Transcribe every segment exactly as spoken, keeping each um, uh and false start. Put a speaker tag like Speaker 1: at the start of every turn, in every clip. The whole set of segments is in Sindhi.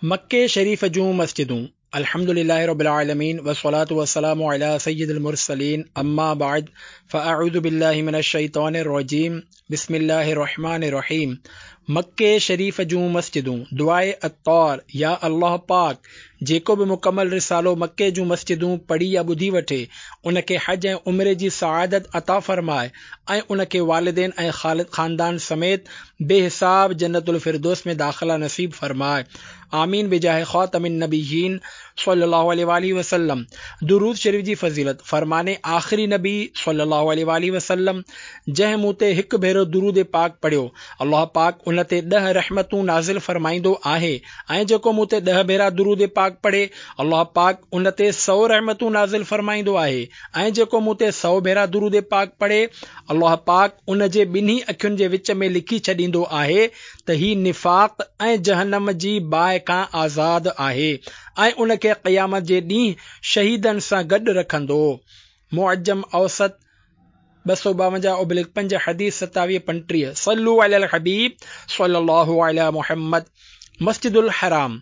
Speaker 1: مڪي شريف جون مسجدون. الحمد لله رب العالمين والصلاة والسلام على سيد المرسلين اما بعد فاعوذ بالله من الشيطان الرجيم بسم الله الرحمن الرحيم. مڪي شريف جون مسجدون. دعاء عطار. يا الله پاڪ، جيڪو به مڪمل رسالو مڪي جون مسجدون پڙهي يا ٻڌي وٺي، ان کي حج ۽ عمري جي سعادت عطا فرماء ۽ ان کي والدين ۽ خاندان سميت بي حساب جنت الفردوس ۾ داخلا نصيب فرماء. آمين بجاه خاتم النبيين صلي الله عليه واله وسلم. درود شريف جي فضيلت. فرمان آخري نبي صلي الله عليه واله وسلم، جنهن مون تي هڪ ڀيرو درود پاڪ پڙهيو، الله پاڪ ان تي ڏهه رحمتون نازل فرمائيندو آهي، ۽ جيڪو مون تي ڏهه ڀيرا درود پاڪ پڙهي، الله پاڪ ان تي سؤ رحمتون نازل فرمائيندو آهي، ۽ جيڪو مون تي سؤ ڀيرا درود پاڪ پڙهي، الله پاڪ ان جي ٻنهي اکين جي وچ ۾ لکي ڇڏيندو آهي ته هي نفاق ۽ جهنم جي باهه کان آزاد آهي، ۽ ان کي قيامت جي ڏينهن شهيدن سان گڏ رکندو. معجم اوسط ٻه سؤ ٻاونجاهه ابلڪ پنج، حديث ستاويهه پنٽيهه. صلو علی الحبيب صلي الله علی محمد. مسجد الحرام.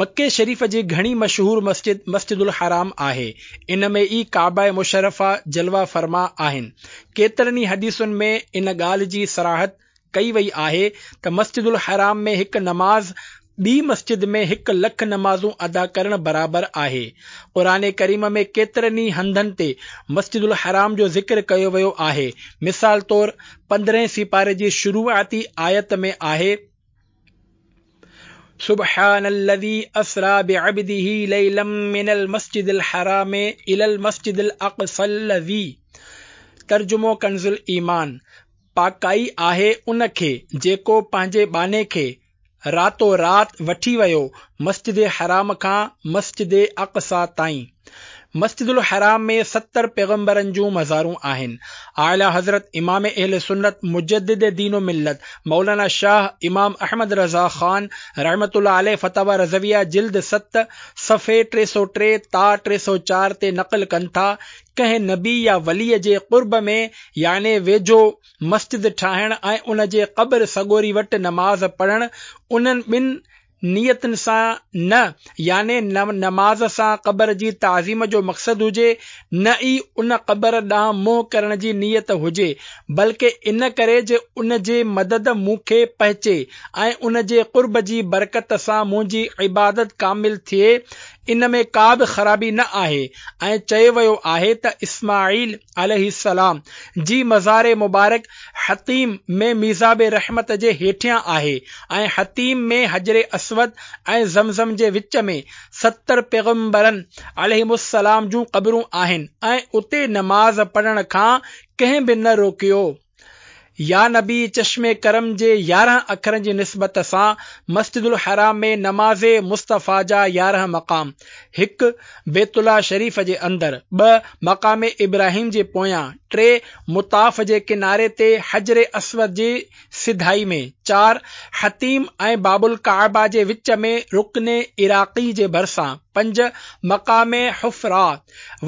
Speaker 1: مڪي شريف جي گهڻي مشهور مسجد مسجد الحرام آهي. ان ۾ ئي ڪعبه مشرفه جلوه فرما آهن. ڪيترن ئي حديثن ۾ ان ڳالهه جي صراحت ڪئي وئي آهي ته مسجد الحرام ۾ هڪ نماز ٻي مسجد ۾ هڪ لک نمازون ادا ڪرڻ برابر آهي. قرآن ڪريم ۾ ڪيترن ئي هنڌن تي مسجد الحرام جو ذڪر ڪيو ويو آهي. مثال طور پندرهين سيپاري جي شروعاتي آيت ۾ آهي: سبحان الذي اسرا بعبده ليلا من المسجد الحرام الى المسجد الاقصى الذي. ترجمو ڪنز الايمان: پاڪائي آهي ان کي جيڪو پنهنجي ٻانهي کي راتو رات وٺي ويو مسجد حرام کان مسجد اقصيٰ تائين. مسجد الحرام ۾ ستر پيغمبرن جون مزارون آهن. اعليٰ حضرت امام اهل سنت مجدد دين و ملت مولانا شاهه امام احمد رضا خان رحمة الله عليه فتاويٰ رضويه جلد ست صفحي ٽي سؤ ٽي تا ٽي سؤ چار تي نقل ڪن ٿا، ڪنهن نبي يا ولي جي قرب ۾ يعني ويجهو مسجد ٺاهڻ ۽ ان جي قبر سڳوري وٽ نماز پڙهڻ انهن ٻن نيتن سان نه يعني نه نماز سان قبر جي تعظيم جو مقصد هجي، نه ئي ان قبر ڏانهن منهن ڪرڻ جي نيت هجي، بلڪه ان ڪري جو ان جي مدد مون کي پهچي ۽ ان جي قرب جي برڪت سان منهنجي عبادت ڪامل ٿئي، ان ۾ ڪا به خرابي نه آهي. ۽ چيو ويو آهي ته اسماعيل عليه السلام جي مزار مبارڪ حطيم ۾ ميزاب رحمت جي هيٺيان آهي، ۽ حطيم ۾ حجر اسود ۽ زمزم جي وچ ۾ ستر پيغمبرن عليهم السلام جون قبرون آهن، ۽ اتي نماز پڙهڻ کان ڪنهن به نه روڪيو. يا نبي چشم ڪرم جي يارهن اکرن جي نسبت سان مسجد الحرام ۾ نماز مصطفيٰ جا يارهن مقام، هڪ. بيت الله شريف جي اندر، ٻه. مقام ابراهيم جي پويان، ٽي. مطاف جي ڪناري تي حجر اسود جي سڌائي ۾، چار. حطيم ۽ باب الڪعبه جي وچ ۾ رڪن عراقي جي ڀرسان، پنج. مقام حفراء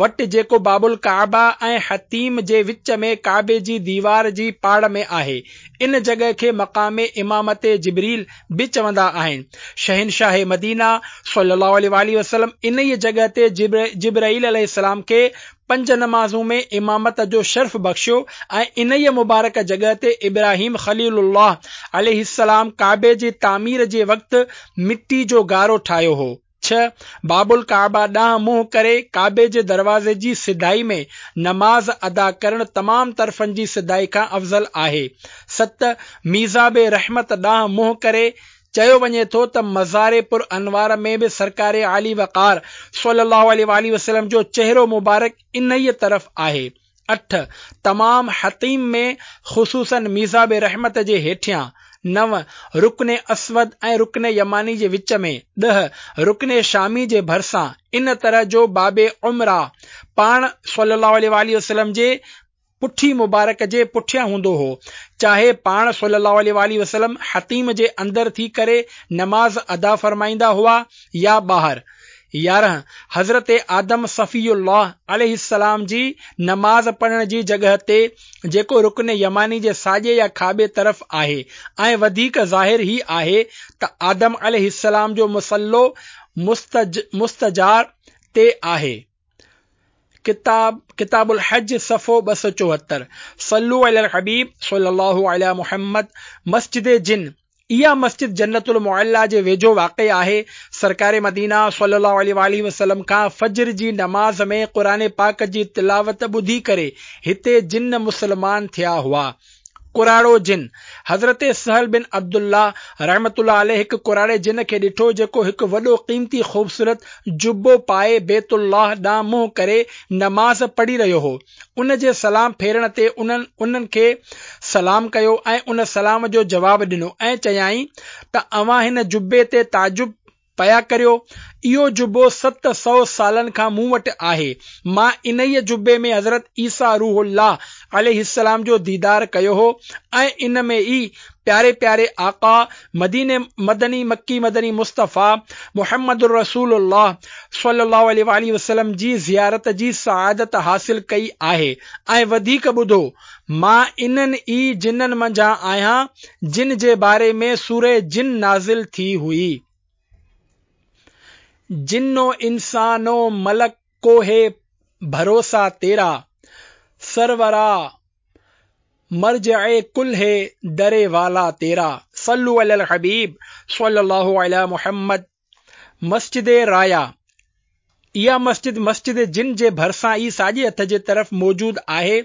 Speaker 1: وٽ جيڪو باب الڪعبه ۽ حطيم جي وچ ۾ ڪعبي جي ديوار جي پاڙ ۾ آهي. ان جڳهه کي مقام امامت جبريل به چوندا آهن. شهنشاهه مدينه صلي الله عليه واله وسلم انهيء جڳهه تي جبرائيل عليه السلام کي پنج نمازون ۾ امامت جو شرف بخشيو، ۽ انهيء مبارڪ جڳهه تي ابراهيم خليل الله عليه السلام ڪعبي جي تعمير جي وقت مٽي جو گارو ٺاهيو هو. ڇهه. باب الڪعبه ڏانهن منهن ڪري ڪعبي جي دروازي جي سڌائي ۾ نماز ادا ڪرڻ تمام طرفن جي سڌائي کان افضل آهي. ست. ميزاب رحمت ڏانهن منهن ڪري چيو وڃي ٿو ته مزار پر انوار ۾ به سرڪار عالي وقار صلي الله عليه واله وسلم جو چهرو مبارڪ انهيء طرف آهي. اٺ. تمام حطيم ۾ خصوصاً ميزاب رحمت جي هيٺيان. نو. رڪن اسود ۽ رڪن يماني جي وچ ۾. ڏهه. رڪن شامي جي ڀرسان. ان طرح جو باب عمره پاڻ صلي الله عليه واله وسلم جي پٺي مبارڪ جي پٺيان هوندو هو، چاهي پاڻ صلي الله عليه واله وسلم حطيم جي اندر ٿي ڪري نماز ادا فرمائيندا هئا يا ٻاهر. يارهن، حضرت آدم صفي الله عليه السلام جي نماز پڙهڻ جي جڳهه تي، جيڪو رڪن يماني جي ساڄي يا کاٻي طرف آهي ۽ وڌيڪ ظاهر هي آهي ته آدم عليه السلام جو مصلو مستجار تي آهي. ڪتاب ڪتاب الحج صفحو ٻه سؤ چوهتر. صلو علی الحبيب صلي الله علي محمد. مسجد جن، اها مسجد جنت المعليٰ جي ويجهو واقع آهي. سرڪار مدينه صلي الله عليه واٰله وسلم کان فجر جي نماز ۾ قرآن پاڪ جي تلاوت ٻڌي ڪري هتي جن مسلمان ٿيا هئا. ڪراڙو جن، حضرت سهل بن عبدالله رحمة الله عليه هڪ ڪراڙي جن کي ڏٺو جيڪو هڪ وڏو قيمتي خوبصورت جبو پائي بيت الله ڏانهن منهن ڪري نماز پڙهي رهيو هو. ان جي سلام ڦيرڻ تي انهن انهن کي سلام ڪيو ۽ ان سلام جو جواب ڏنو ۽ چيائين ته اوهان هن جبي تي تعجب پيا ڪريو، اهو جبو ست سؤ سالن کان مون وٽ آهي، مان انهيء جبي ۾ حضرت عيسيٰ روح الله عليه السلام جو ديدار ڪيو هو ۽ ان ۾ ئي پياري پياري آقا مديني مدني مڪي مدني مصطفيٰ محمد رسول الله صلي الله عليه واٰله وسلم جي زيارت جي سعادت حاصل ڪئي آهي ۽ وڌيڪ ٻڌو مان انهن ئي جنن منجهان آهيان جن جي باري ۾ سوره جن نازل ٿي هئي. جن و انسان و ملڪ کو هي ڀروسا تيرا، سرورا مرجع ڪل هي در والا تيرا. صلو علی الحبيب صلي الله علي محمد. مسجد رايا، اها مسجد مسجد جن جي ڀرسان ئي ساڄي هٿ جي طرف موجود آهي.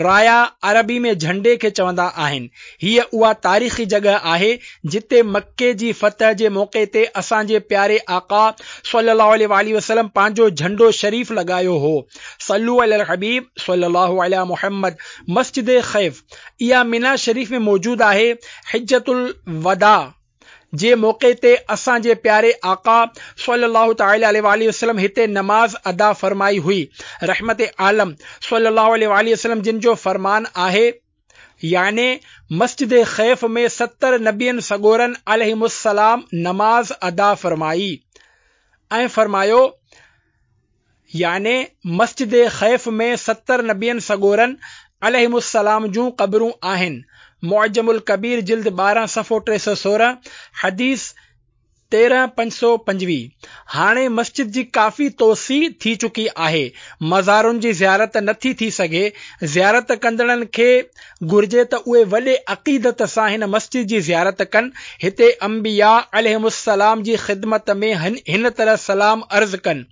Speaker 1: رايا عربي ۾ جهنڊي کي چوندا آهن. هيء اها تاريخي جڳهه آهي، جتي مڪي جي فتح جي موقعي تي اسان جي پياري آقا صلي الله عليه واٰله وسلم پنهنجو جهنڊو شريف لڳايو هو. صلو علی الحبيب صلي الله علي محمد. مسجد خيف، اها منيٰ شريف ۾ موجود آهي. حجة الوداع جي موقعي تي اسان جي پياري آقا صلي الله تعالٰي عليه واٰله وسلم هتي نماز ادا فرمائي هئي. رحمت عالم صلي الله عليه واٰله وسلم جن جو فرمان آهي، يعني مسجد خيف ۾ ستر نبين سڳورن عليهم السلام نماز ادا فرمائي ۽ فرمايو، يعني مسجد خيف ۾ ستر نبين سڳورن عليهم السلام جون قبرون آهن. معجم الڪبير جلد ٻارهن صفحو ٽي سؤ سورهن، حديث تيرهن پنج سؤ پنجويهه. هاڻي مسجد جي ڪافي توسيع ٿي چڪي آهي. مزارن جي زيارت نٿي ٿي سگهي. زيارت ڪندڙن کي گهرجي ته اهي وڏي عقيدت سان هن مسجد جي زيارت ڪن. هتي انبياء عليهم السلام جي خدمت ۾ هن طرح سلام عرض ڪن،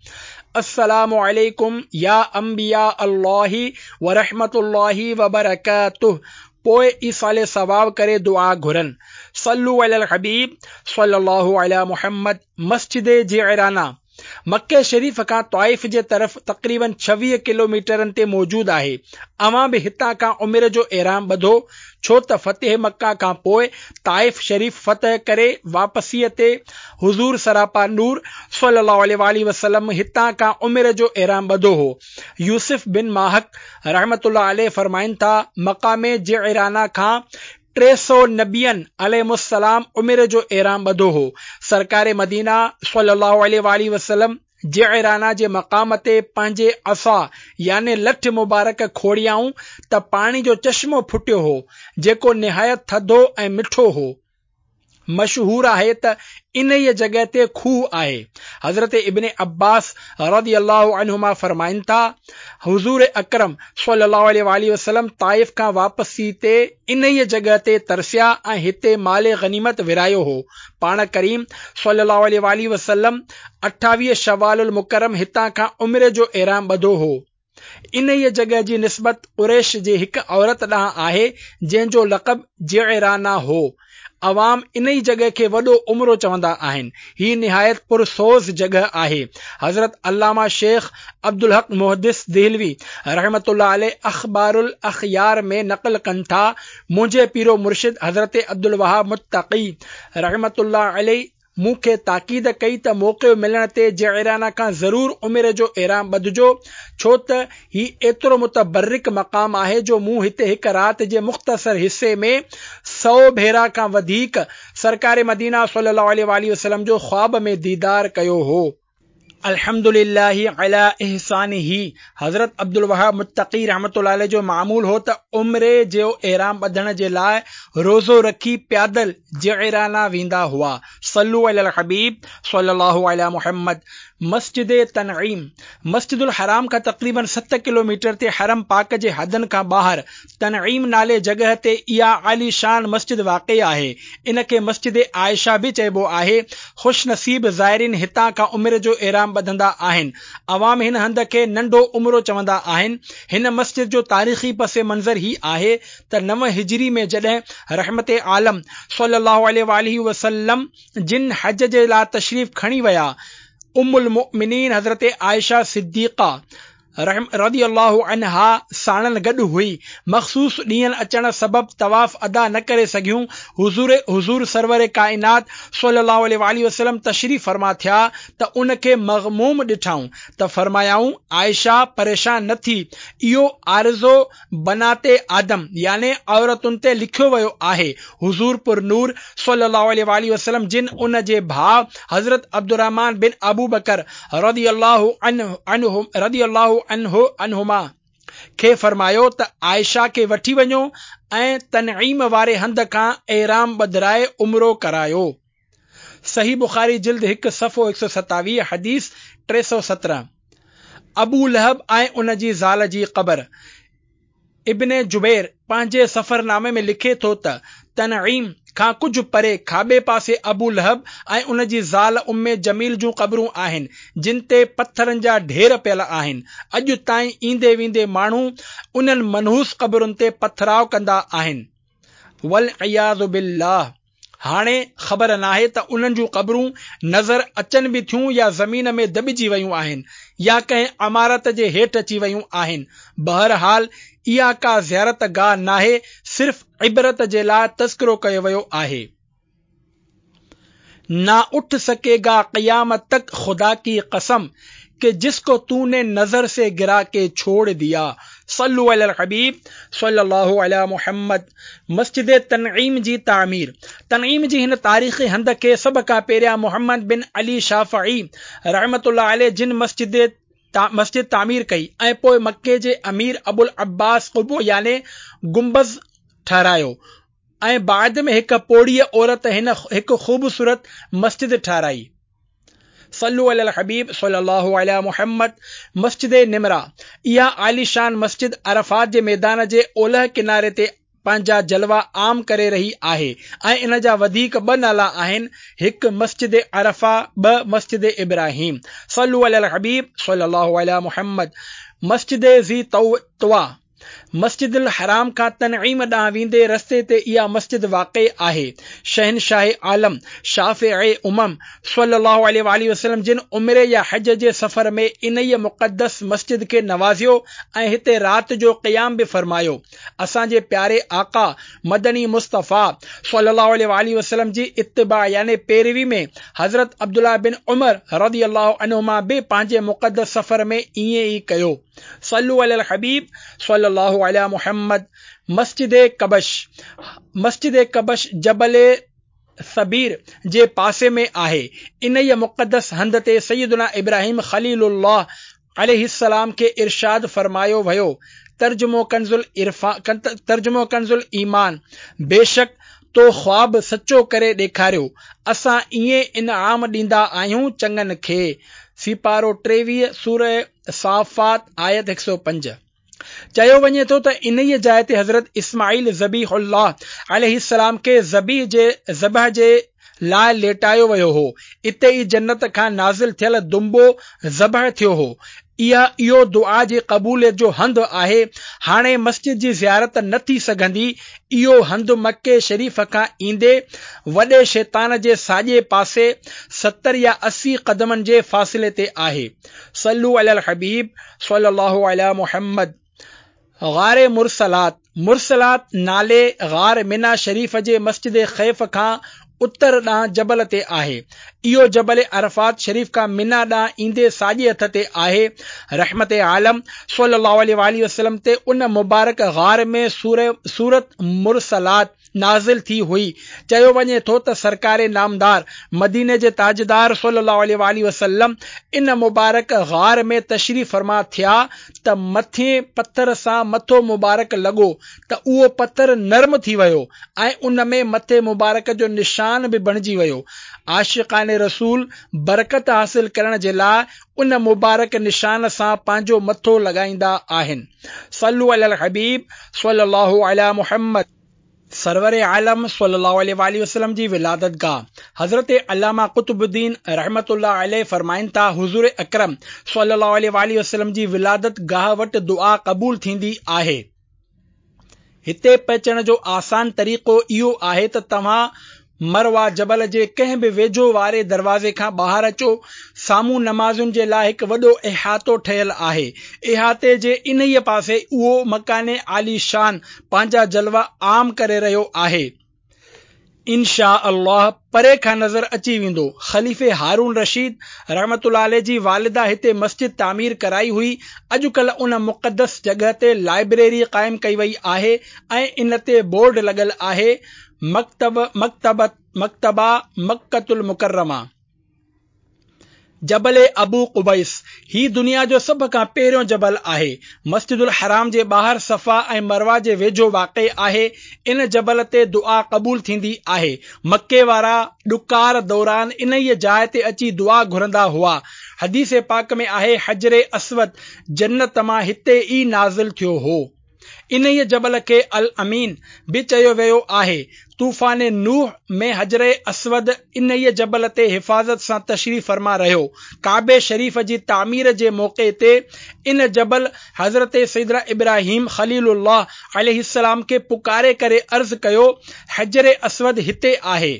Speaker 1: السلام عليڪم يا انبياء الله ورحمة الله وبرڪاته پوء ايصال ثواب ڪري دعا گهرن. صلو علی الحبيب صلي الله علي محمد. مسجد جعرانه مڪي شريف کان طائف جي طرف تقريباً ڇويهه ڪلوميٽرن تي موجود آهي. اوهان به هتان کان عمري جو احرام ٻڌو، ڇو ته فتح مڪه کان پوء طائف شريف فتح ڪري واپسيء تي حضور سراپا نور صلي الله عليه واٰله وسلم هتان کان عمري جو احرام ٻڌو هو. يوسف بن ماهڪ رحمة الله عليه فرمائن ٿا، مقام جعرانه کان ٽي سؤ نبين عليهم السلام عمري جو احرام ٻڌو هو. سرڪار مدينه صلي الله عليه واٰله وسلم جعرانه جي مقام تي پنهنجي عصا يعني لٺ مبارڪ کوڙيائون ته پاڻي جو چشمو ڦٽيو هو، جيڪو نهايت ٿڌو ۽ مٺو هو. مشهور آهي ته انهيء جڳهه تي کوهه آهي. حضرت ابن عباس رضي الله عنهما فرمائن ٿا، حضور اڪرم صلي الله عليه واٰله وسلم طائف کان واپسي تي انهيء جڳهه تي ترسيا ۽ هتي مال غنيمت ورهايو هو. پاڻ ڪريم صلي الله عليه واٰله وسلم اٺاويهه شوال المڪرم هتان کان عمري جو احرام ٻڌو هو. انهيء جڳهه جي نسبت قريش جي هڪ عورت ڏانهن آهي، جنهن جو لقب جعرانه هو. عوام انهيء جڳهه کي وڏو عمرو چوندا آهن. هي نهايت پرسوز جڳهه آهي. حضرت علامه شيخ عبدالحق محدث دهلوي رحمة الله عليه اخبار الاخيار ۾ نقل ڪن ٿا، منهنجي پيرو مرشد حضرت عبدالوهاب متقي رحمة الله عليه مون کي تاڪيد ڪئي ته موقعو ملڻ تي جعرانه کان ضرور عمري جو احرام ٻڌجو، ڇو ته هي ايترو متبرڪ مقام آهي جو مون هتي هڪ رات جي مختصر حصي ۾ سؤ ڀيرا کان وڌيڪ سرڪار مدينه صلي الله عليه واٰله وسلم جو خواب ۾ ديدار ڪيو هو. الحمد لله علي احسانه حضرت عبدالوهاب متقي رحمة الله عليه جو معمول هو ته عمري جو احرام ٻڌڻ جي لاء روزو رکي پيادل جعرانه ويندا هئا. صلو علي الحبيب صلي الله علي محمد. مسجد تنعيم مسجد الحرام کان تقريبن ست ڪلوميٽر تي حرم پاڪ جي حدن کان ٻاهر تنعيم نالي جڳهه تي اها عاليشان مسجد واقع آهي. ان کي مسجد عائشه به چئبو آهي. خوش نصيب زائرين هتان کان عمري جو احرام ٻڌندا آهن. عوام هن هنڌ کي ننڍو عمرو چوندا آهن. هن مسجد جو تاريخي پس منظر هي آهي ته نو هجري ۾ جڏهن رحمت عالم صلي الله عليه واله وسلم جن حج جي لاء تشريف کڻي ويا، ام المؤمنين حضرت عائشه صديقه رضي الله عنها ساڻن گڏ هئي. مخصوص ڏينهن اچڻ سبب طواف ادا نه ڪري سگهيون. حضور حضور سرور ڪائنات صلي الله عليه واله وسلم تشريف فرما ٿيا ته ان کي مغموم ڏٺائون ته فرمايائون، عائشه پريشان نه ٿي، اهو عارضو بنات آدم يعني عورتن تي لکيو ويو آهي. حضور پر نور صلي الله عليه واله وسلم جن ان جي ڀاء حضرت عبدالرحمان بن ابوبڪر رضي الله عنه عنه رضي الله عنه عنهما کي فرمايو ته عائشه کي وٺي وڃو ۽ تنعيم واري هنڌ کان احرام ٻڌرائي عمرو ڪرايو. صحيح بخاري جلد هڪ صفحو هڪ سؤ ستاويهه حديث ٽي سؤ سترهن. ابو لهب ۽ ان جي زال جي قبر. ابن جبير پنهنجي سفرنامي ۾ لکي ٿو ته تنعيم کان ڪجهه پري کاٻي پاسي ابو لهب ۽ ان جي زال ام جميل جون قبرون آهن، جن تي پٿرن جا ڍير پيل آهن. اڄ تائين ايندي ويندي ماڻهو انهن منحوس قبرن تي پٿراء ڪندا آهن. والعياذ بالله. هاڻي خبر ناهي ته انهن جون قبرون نظر اچن به ٿيون يا زمين ۾ دٻجي ويون آهن يا ڪنهن عمارت جي هيٺ اچي ويون آهن. بهرحال اها ڪا زيارت گاهه ناهي، صرف عبرت جي لاء تذڪرو ڪيو ويو آهي. نا اٺ سڪي گا قيامت تڪ خدا ڪي قسم ڪه جس ڪو تو ني نظر سي گرا ڪي ڇوڙ ديا. صلو علي الحبيب صلي الله علي محمد. مسجد تنعيم جي تعمير تنعيم جي هن تاريخي هنڌ کي سڀ کان پهريان محمد بن علي شافعي رحمة الله عليه جن مسجد مسجد تعمير ڪئي ۽ پوء مڪي جي امير ابوالعباس قبو يعني گنبذ ٺهرايو ۽ بعد ۾ هڪ پوڙهيء عورت هن هڪ خوبصورت مسجد ٺهرائي. صلو علي الحبيب صلي الله علي محمد. مسجد نمره اها عاليشان مسجد عرفات جي ميدان جي اولهه ڪناري تي پنهنجا جلوا عام ڪري رهي آهي ۽ ان جا وڌيڪ ٻه نالا آهن، هڪ مسجد عرفه، ٻه مسجد ابراهيم. صلو علي الحبيب صلي الله علي محمد. مسجد ذي طويٰ مسجد الحرام کان تنعيم ڏانهن ويندي رستي تي اها مسجد واقع آهي. شهنشاهه عالم، شافع امم صلي الله عليه واله وسلم جن عمري يا حج جي سفر ۾ انهيء مقدس مسجد کي نوازيو ۽ هتي رات جو قيام به فرمايو. اسان جي پياري آقا مدني مصطفيٰ صلي الله عليه واله وسلم جي اتباع يعني پيروي ۾ حضرت عبدالله بن عمر رضي الله عنهما به پنهنجي مقدس سفر ۾ ائين ئي ڪيو. صلو علي الحبيب صلي الله علي محمد. مسجد ڪبش مسجد ڪبش جبل ثبير جي پاسي ۾ آهي. انهيء مقدس هنڌ تي سيدنا ابراهيم خليل الله عليه السلام کي ارشاد فرمايو ويو، ترجمو ڪنز العرفان ترجمو ڪنز الايمان، بيشڪ تو خواب سچو ڪري ڏيکاريو، اسان ائين انعام ڏيندا آهيون چڱن کي. سيپارو ٽيويهه، سوره صافات آيت هڪ سؤ پنج. چيو وڃي ٿو ته انهيء جاء تي حضرت اسماعيل ذبيح الله عليه السلام کي ذبيح جي ذبح جي لاء ليٽايو ويو هو. اتي ئي جنت کان نازل ٿيل دنبو ذبح ٿيو هو. اها اهو دعا جي قبوليت جو هنڌ آهي. هاڻي مسجد جي زيارت نه ٿي سگهندي. اهو هنڌ مڪي شريف کان ايندي وڏي شيطان جي ساڄي پاسي ستر يا اسي قدمن جي فاصلي تي آهي. صلو علي الحبيب صلي الله علي محمد. غار مرسلات مرسلات نالي غار منيٰ شريف جي مسجد خيف کان اتر ڏانهن جبل تي آهي. اهو جبل عرفات شريف کان منيٰ ڏانهن ايندي ساڄي هٿ تي آهي. رحمت عالم صلي الله عليه واٰله وسلم تي ان مبارڪ غار ۾ سورة مرسلات نازل ٿي هئي. چيو وڃي ٿو ته سرڪار نامدار مديني جي تاجدار صلي الله عليه واٰله وسلم ان مبارڪ غار ۾ تشريف فرما ٿيا ته مٿين پٿر سان مٿو مبارڪ لڳو ته اهو پٿر نرم ٿي ويو ۽ ان ۾ مٿي مبارڪ جو نشان به بڻجي ويو. عاشقان رسول برڪت حاصل ڪرڻ جي لاء ان مبارڪ نشان سان پنهنجو مٿو لڳائيندا آهن. صلو علی الحبيب صلي الله علي محمد. سرور عالم صلي الله عليه واٰله وسلم جي ولادت گاهه حضرت علامه قطب الدين رحمة الله عليه فرمائن ٿا، حضور اڪرم صلي الله عليه واٰله وسلم جي ولادت گاهه وٽ دعا قبول ٿيندي آهي. هتي پهچڻ جو آسان طريقو اهو آهي ته توهان مروه جبل جي ڪنهن به ويجهو واري دروازي کان ٻاهر اچو. سامهون نمازين جي لاء هڪ وڏو احاطو ٺهيل آهي. احاطي جي انهيء پاسي اهو مڪان عالي شان پنهنجا جلوا عام ڪري رهيو آهي. ان شاء الله پري کان نظر اچي ويندو. خليفي هارون رشيد رحمة الله عليه جي والده هتي مسجد تعمير ڪرائي هئي. اڄڪلهه ان مقدس جڳهه تي لائبريري قائم ڪئي وئي آهي ۽ ان تي بورڊ لڳل آهي، مڪتب مڪتبه مڪتبه مڪة المڪرمه. جبل ابو قبيس، هي دنيا جو سڀ کان پهريون جبل آهي. مسجد الحرام جي ٻاهر صفا ۽ مروه جي ويجهو واقع آهي. ان جبل تي دعا قبول ٿيندي آهي. مڪي وارا ڏڪار دوران انهيء جاء تي اچي دعا گهرندا هئا. حديث پاڪ ۾ آهي، حجر اسود جنت مان هتي ئي نازل ٿيو هو. انهيء جبل کي الامين به چيو ويو آهي. طوفان نوح ۾ حجر اسود انهيء جبل تي حفاظت سان تشريف فرما رهيو. ڪعبي شريف جي تعمير جي موقعي تي ان جبل حضرت سيدنا ابراهيم خليل الله عليه السلام کي پڪاري ڪري عرض ڪيو، حجر اسود هتي آهي.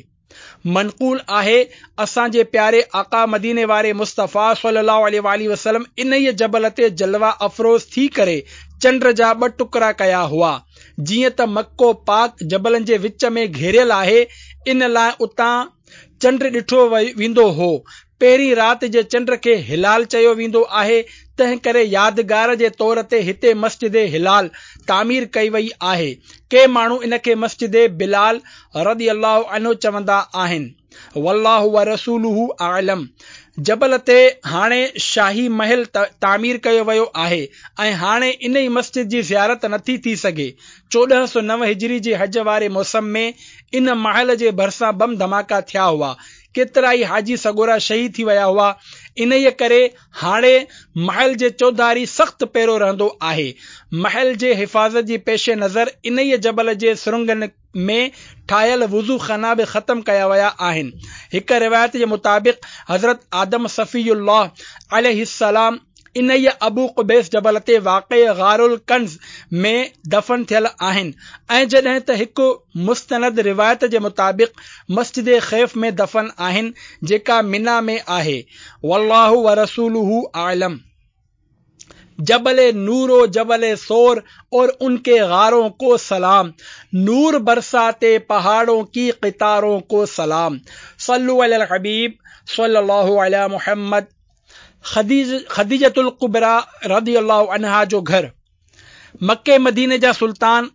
Speaker 1: منقول آهي، اسان جي پياري آقا مديني واري مصطفيٰ صلي الله عليه واٰله وسلم انهيء جبل تي جلوه افروز ٿي ڪري چنڊ جا ٻه ٽڪرا ڪيا هئا. جيئن ته مڪو پاڪ جبلن جي وچ ۾ گهيريل آهي، ان لاء اتان چنڊ ڏٺو ويندو هو. پهرين رات جي چنڊ کي هلال چيو ويندو آهي، تنهن ڪري يادگار جي طور تي هتي مسجد هلال تعمير ڪئي وئي آهي. ڪي ماڻهو ان کي مسجد بلال رضي الله عنه چوندا آهن. والله ورسوله اعلم. جبل تي هاڻي شاهي محل تعمير ڪيو ويو آهي ۽ هاڻي انهي مسجد جي زيارت نٿي ٿي سگهي. چوڏهن سؤ نو هجري جي حج واري موسم ۾ ان محل جي ڀرسان بم ڌماڪا ٿيا هئا. ڪيترائي حاجي سڳورا شهيد ٿي ويا هئا. انهيء ڪري هاڻي محل جي چوڌاري سخت پهرو رهندو آهي. محل جي حفاظت جي پيش نظر انهيء جبل جي سرنگن ۾ ٺاهيل وضو خانا به ختم ڪيا ويا آهن. هڪ روايت جي مطابق حضرت آدم صفي الله عليه السلام انهيء ابو قبيس جبل تي واقع غار الڪنز ۾ دفن ٿيل آهن ۽ جڏهن ته هڪ مستند روايت جي مطابق مسجد خيف ۾ دفن آهن جيڪا منيٰ ۾ آهي. والله ورسوله اعلم. جبل نور و جبل ثور اور ان ڪي غارون ڪو سلام، نور برساتي پهاڙون ڪي قطارون ڪو سلام. صلو علی الحبيب صلي الله علي محمد. خديجة الڪبريٰ رضي الله عنها جو گهر. مڪي مديني جا سلطان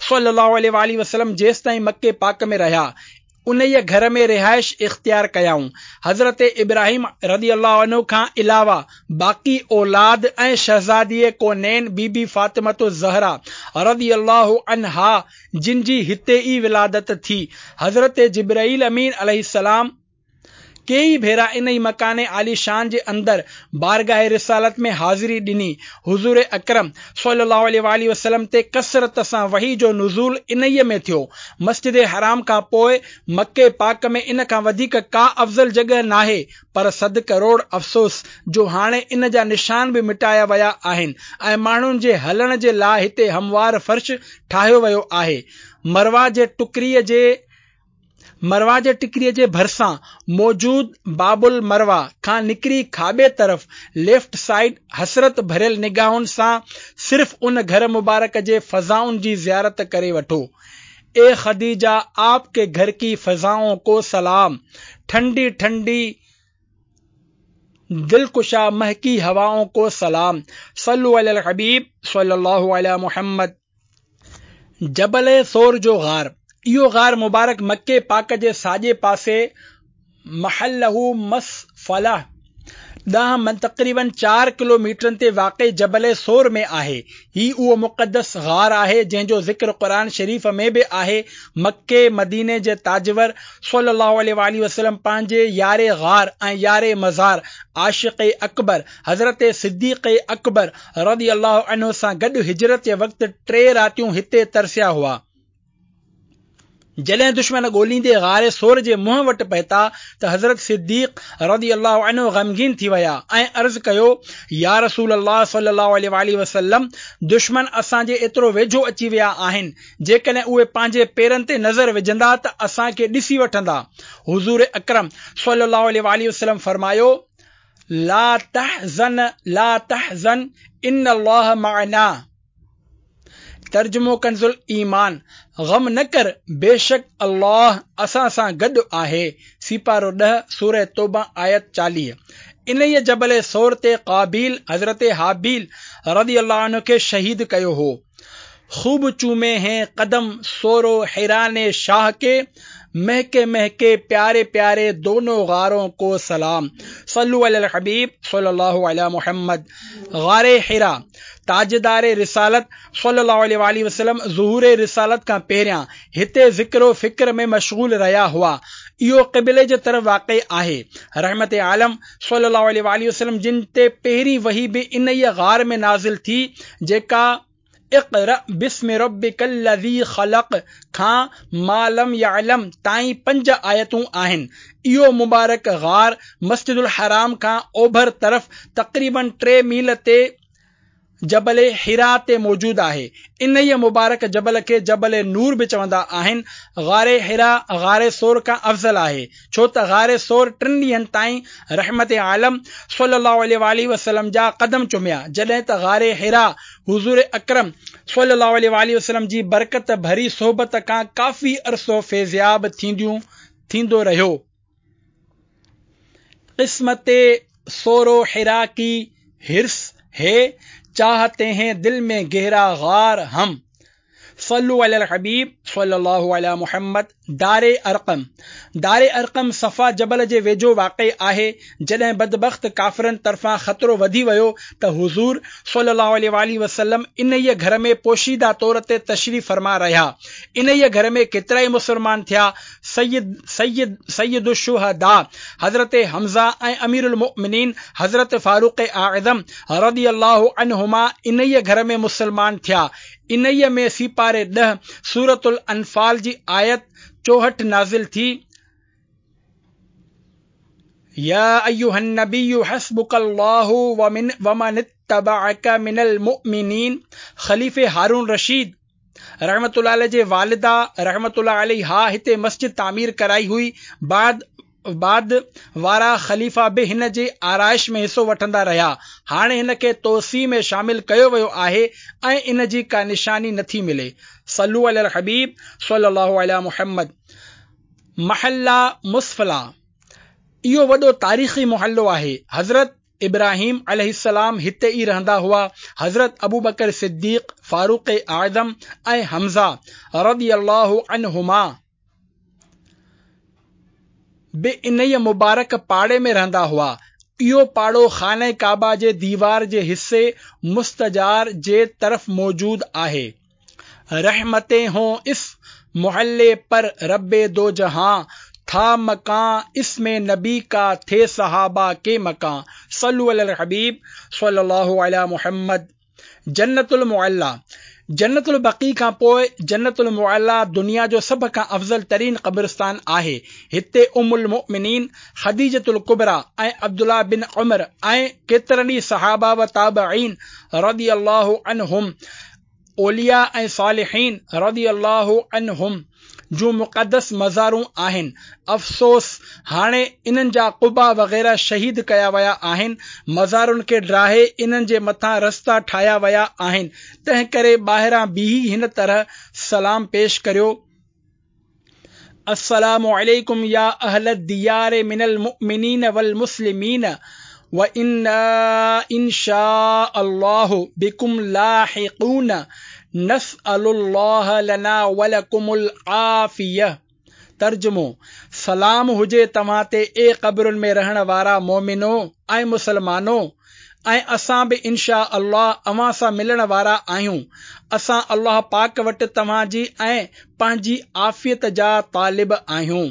Speaker 1: صلي الله عليه واٰله وسلم جيستائين مڪي پاڪ ۾ رهيا، انهيء گهر ۾ رهائش اختيار ڪيائون. حضرت ابراهيم رضي الله عنه کان علاوه باقي اولاد ۽ شهزادي ڪونين بي بي فاطمة الزهرا رضي الله عنها جن جي هتي ئي ولادت ٿي. حضرت جبرئيل امين عليه السلام ڪيئي ڀيرا انهي مڪان عاليشان جي اندر بارگاهه رسالت ۾ حاضري ڏني. حضور اڪرم صلي الله عليه واٰله وسلم تي ڪثرت سان وحي جو نزول انهيء ۾ ٿيو. مسجد حرام کان پوء مڪي پاڪ ۾ ان کان وڌيڪ ڪا افضل جڳهه ناهي، پر صد ڪروڙ افسوس جو هاڻي ان جا نشان به مٽايا ويا آهن ۽ ماڻهن جي هلڻ جي لاء هتي هموار فرش ٺاهيو ويو آهي. مروه جي ٽڪريء جي مروه جي ٽڪريء جي ڀرسان موجود باب المروه کان نڪري کاٻي طرف، Left Side، حسرت ڀريل نگاهن سان صرف ان گهر مبارڪ جي فضائن جي زيارت ڪري وٺو. اي خديجه آپ ڪي گهر ڪي فضائون ڪو سلام، ٺنڊي ٺنڊي دلڪشا مهڪي هوائون ڪو سلام، صلو علي الحبيب صلي الله علي محمد. جبل ثور جو غار، اهو غار مبارڪ مڪي پاڪ جي ساڄي پاسي محله مسفله ڏانهن تقريباً چار ڪلو ميٽرن تي واقع جبل ثور ۾ آهي. هي اهو مقدس غار آهي جنهن جو ذڪر قرآن شريف ۾ به آهي. مڪي مديني جي تاجور صلي الله عليه واٰله وسلم پنهنجي يار غار ۽ يار مزار عاشق اڪبر حضرت صديق اڪبر رضي الله عنه سان گڏ هجرت جي وقت ٽي راتيون هتي ترسيا هئا. جڏهن دشمن ڳوليندي غار ثور جي منهن وٽ پهتا ته حضرت صديق رضي الله عنه غمگين ٿي ويا ۽ عرض ڪيو، يا رسول الله صلي الله عليه واٰله وسلم! دشمن اسان جي ايترو ويجهو اچي ويا آهن، جيڪڏهن اهي پنهنجي پيرن تي نظر وجهندا ته اسان کي ڏسي وٺندا. حضور اڪرم صلي الله عليه واٰله وسلم فرمايو، لا تحزن لا تحزن ان الله معنا. ترجمو ڪنز الايمان، غم نه ڪر بيشڪ الله اسان سان گڏ آهي، سيپارو ڏهه، سوره توبه آيت چاليهه. انهيء جبل ثور تي قابيل حضرت هابيل رضي الله عنه کي شهيد ڪيو هو. خوب چومي هين قدم ثور و حرا ني شاهه ڪي، مهڪي مهڪي پياري پياري دونو غارون ڪو سلام صلو علي الحبيب صلي الله علي محمد غار حرا تاجدار رسالت صلي الله عليه واٰله وسلم ظهور رسالت کان پهريان هتي ذڪر و فڪر ۾ مشغول رهيا هئا اهو قبلي جي طرف واقع آهي رحمت عالم صلي الله عليه واٰله وسلم جن تي پهرين وحي به انهيء غار ۾ نازل ٿي جيڪا اقرأ باسم ربک الذي خلق کان ما لم يعلم تائين پنج آيتون آهن. اهو مبارڪ غار مسجد الحرام کان اوڀر طرف تقريباً ٽي ميل تي جبل حرا تي موجود آهي. انهيء مبارڪ جبل کي جبل نور به چوندا آهن. غار حرا غار ثور کان افضل آهي، ڇو ته غار ثور ٽن ڏينهن تائين رحمت عالم صلي الله عليه واٰله وسلم جا قدم چميا، جڏهن ته غار حرا حضور اڪرم صلي الله عليه واٰله وسلم جي برڪت ڀري صحبت کان ڪافي عرصو فيضياب ٿينديون ٿيندو رهيو. قسمت ثور و حرا ڪي حرص هي، چاهتي هين دل ۾ گهرا غار هم. صلو علي الحبيب صلي الله علي محمد دار ارقم دار ارقم صفا جبل جي ويجهو واقع آهي، جڏهن بدبخت ڪافرن طرفان خطرو وڌي ويو ته حضور صلي الله عليه واٰله وسلم انهيء گهر ۾ پوشيده طور تي تشريف فرما رهيا. انهيء گهر ۾ ڪيترائي مسلمان ٿيا، سيد سيد سيد الشهداء حضرت حمزه ۽ امير المؤمنين حضرت فاروق اعظم رضي الله عنهما انهيء گهر ۾ مسلمان ٿيا. انهيء ۾ سيپاري ڏهه سورة الانفال جي آيت چوهٺ نازل ٿي، يا ايها النبي حسبک الله ومن اتبعک من المؤمنين خليفي هارون رشيد رحمة الله عليه جي والده رحمة الله عليها هتي مسجد تعمير ڪرائي هئي، بعد بعد وارا خليفا به هن جي آرائش ۾ حصو وٺندا رهيا. هاڻي هن کي توسيع ۾ شامل ڪيو ويو آهي ۽ ان جي ڪا نشاني نٿي ملي. صلو علي الحبيب صلي الله علي محمد محله مسفله اهو وڏو تاريخي محلو آهي. حضرت ابراهيم عليه السلام هتي ئي رهندا هئا. حضرت ابوبڪر صديق، فاروق اعظم ۽ حمزه رضي الله عنهما به انهيء مبارڪ پاڙي ۾ رهندا هئا. اهو پاڙو خانه ڪعبه جي ديوار جي حصي مستجار جي طرف موجود آهي. رحمتين هون اس محلي پر رب دو جهان ٿا مڪان اس ۾ نبي ڪا ٿي صحابه ڪي مڪان صلو علي الحبيب صلي الله علي محمد جنت المعليٰ، جنت البقيع کان پوء جنت المعليٰ دنيا جو سڀ کان افضل ترين قبرستان آهي. هتي ام المؤمنين خديجة الڪبريٰ ۽ عبدالله بن عمر ۽ ڪيترن ئي صحابه و تابعين رضي الله عنهم، اولياء ۽ صالحين رضي الله عنهم جون مقدس مزارون آهن. افسوس هاڻي انهن جا قبا وغيره شهيد ڪيا ويا آهن، مزارن کي ڊاهي انهن جي مٿان رستا ٺاهيا ويا آهن، تنهنڪري ٻاهران بيهي هن طرح سلام پيش ڪريو، السلام عليڪم يا اهل الديار من المؤمنين والمسلمين وانا ان شاء الله بڪم لاحقون نسأل الله لنا ولڪم العافيه. ترجمو، سلام هجي توهان تي اي قبرن ۾ رهڻ وارا مؤمنو ۽ مسلمانو ۽ اسان به انشاء الله اوهان سان ملڻ وارا آهيون. اسان الله پاڪ وٽ توهان جي ۽ پنهنجي عافيت جا طالب آهيون.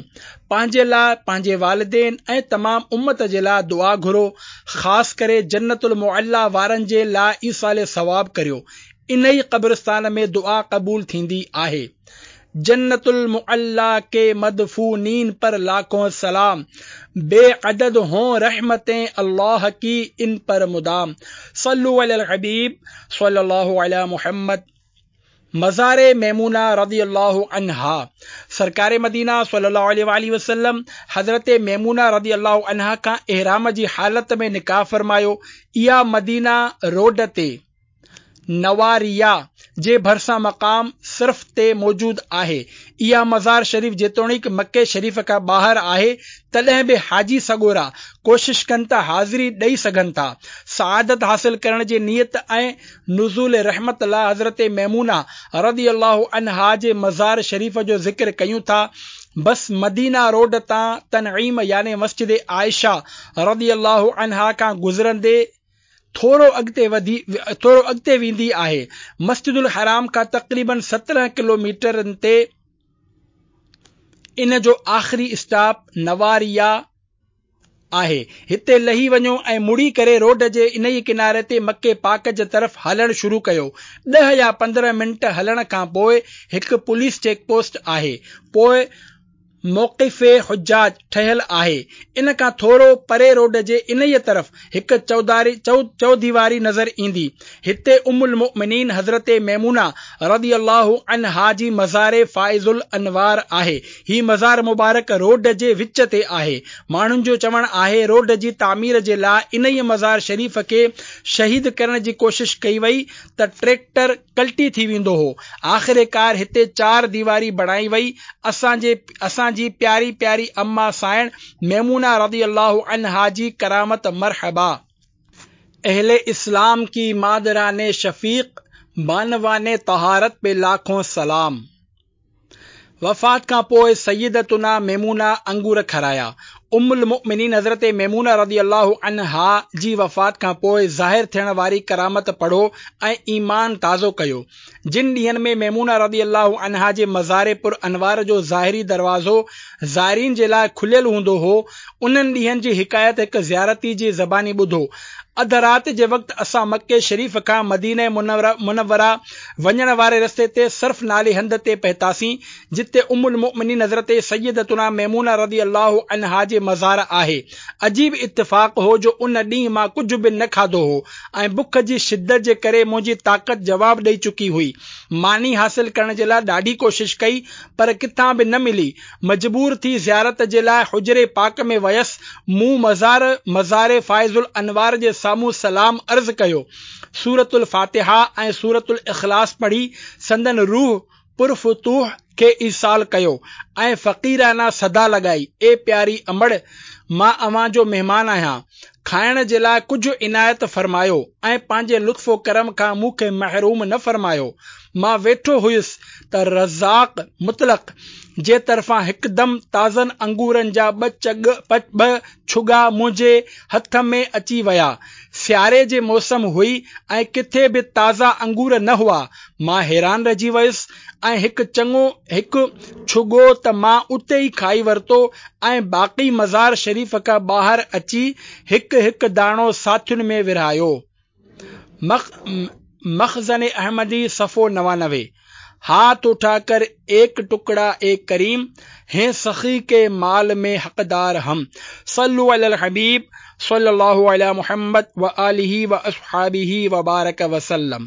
Speaker 1: پنهنجي لاء، پنهنجي والدين ۽ تمام امت جي لاء دعا گهرو، خاص ڪري جنت المعليٰ وارن جي لاء ايصال ثواب ڪريو. انهي قبرستان ۾ دعا قبول ٿيندي آهي. جنت المعليٰ ڪي مدفونين پر لاکون سلام، بي عدد هون رحمتين الله ڪي ان پر مدام. صلو علي الحبيب صلي الله علي محمد. مزار ميمونه رضي الله عنها. سرڪار مدينه صلي الله عليه واٰله وسلم حضرت ميمونه رضي الله عنها کان احرام جي حالت ۾ نڪاح فرمايو. اها مدينه روڊ تي نواريا جي ڀرسان مقام صرف تي موجود آهي. اها مزار شريف جيتوڻيڪ مڪي شريف کان ٻاهر آهي، تڏهن به حاجي سڳورا ڪوشش ڪن ته حاضري ڏئي سگهن ٿا. سعادت حاصل ڪرڻ جي نيت ۽ نزول رحمت لاء حضرت ميمونه رضي الله عنها جي مزار شريف جو ذڪر ڪيون ٿا. بس مدينه روڊ تان تنعيم يعني مسجد عائشه رضي الله عنها کان گذرندي ٿورو اڳتي وڌي ٿورو اڳتي ويندي آهي. مسجد الحرام کان تقريباً سترهن ڪلوميٽرن تي ان جو آخري اسٽاپ نواريا آهي. هتي لهي وڃو ۽ مڙي ڪري روڊ جي انهيء ڪناري تي مڪي پاڪ جي طرف هلڻ شروع ڪيو. ڏهه يا پندرهن منٽ هلڻ کان پوء هڪ پوليس چيڪ پوسٽ آهي. پوء موقف حجاج ٺهيل آهي. ان کان ٿورو پري روڊ جي انهيء طرف هڪ چوداري چوديواري نظر ايندي. هتي ام المؤمنين حضرت ميمونه رضي الله عنها جي مزار فائض الانوار آهي. هي مزار مبارڪ روڊ جي وچ تي آهي. ماڻهن جو چوڻ آهي روڊ جي تعمير جي لاء انهيء مزار شريف کي شهيد ڪرڻ جي ڪوشش ڪئي وئي ته ٽريڪٽر ڪلٽي ٿي ويندو هو. آخرڪار هتي چار ديواري بڻائي وئي. اسان جي اسان جي پياري پياري اما سائڻ ميمونه رضي الله عنها جي ڪرامت مرحبا. اهل اسلام ڪي مادران شفيق بانوان طهارت پي لاکون سلام. وفات کان پوء سيدتنا ميمونه انگور کارايا. ام المؤمنين حضرت ميمونه رضي الله عنها جي وفات کان پوء ظاهر ٿيڻ واري ڪرامت پڙهو ۽ ايمان تازو ڪيو. جن ڏينهن ۾ ميمونه رضي الله عنها جي مزار پر انوار جو ظاهري دروازو زائرين جي لاء کليل هوندو هو، انهن ڏينهن جي حڪايت هڪ زيارتي جي زباني ٻڌو. اڌ رات جي وقت اسان مڪي شريف کان مدينه منوره وڃڻ واري رستي تي صرف نالي هنڌ تي پهتاسين، جتي ام المؤمنين حضرت سيدتنا ميمونه رضي الله عنها جي مزار آهي. عجيب اتفاق هو جو ان ڏينهن مان ڪجهه به نه کاڌو هو ۽ بک جي شدت جي ڪري منهنجي طاقت جواب ڏئي چڪي هئي. ماني حاصل ڪرڻ جي لاء ڏاڍي ڪوشش ڪئي پر ڪٿان به نه ملي. مجبور ٿي زيارت جي لاء حجري پاڪ ۾ ويس. مون مزار مزار فائض الانوار جي سامهون سلام عرض ڪيو. سورة الفاتحه ۽ سورة الاخلاص پڙهي سندن روح پرفتوح کي ايصال ڪيو ۽ فقيرانه صدا لڳائي، اي پياري امڙ! مان اوهان جو مهمان آهيان. کائڻ جي لاء ڪجهه عنايت فرمايو ۽ پنهنجي لطف و ڪرم کان مون کي محروم نه فرمايو. مان ويٺو هيس ته رزاق مطلق جي طرفان هڪدم تازن انگورن جا ٻه ٻه ڇڳا منهنجي هٿ ۾ اچي ويا. سياري جي موسم هئي ۽ ڪٿي به تازا انگور نه هئا. مان حيران رهجي ويس ۽ هڪ چڱو هڪ ڇڳو ته مان اتي ئي کائي ورتو ۽ باقي مزار شريف کان ٻاهر اچي هڪ هڪ داڻو ساٿين ۾ ورهايو. مخزن احمدي صفحو نوانوي. هاٿ اٺا ڪر ايڪ ٽڪڙا اي ڪريم، هين سخي ڪي مال ۾ حقدار هم. صلو علي الحبيب صلي الله علي محمد وآله واصحابه وبارڪ وسلم.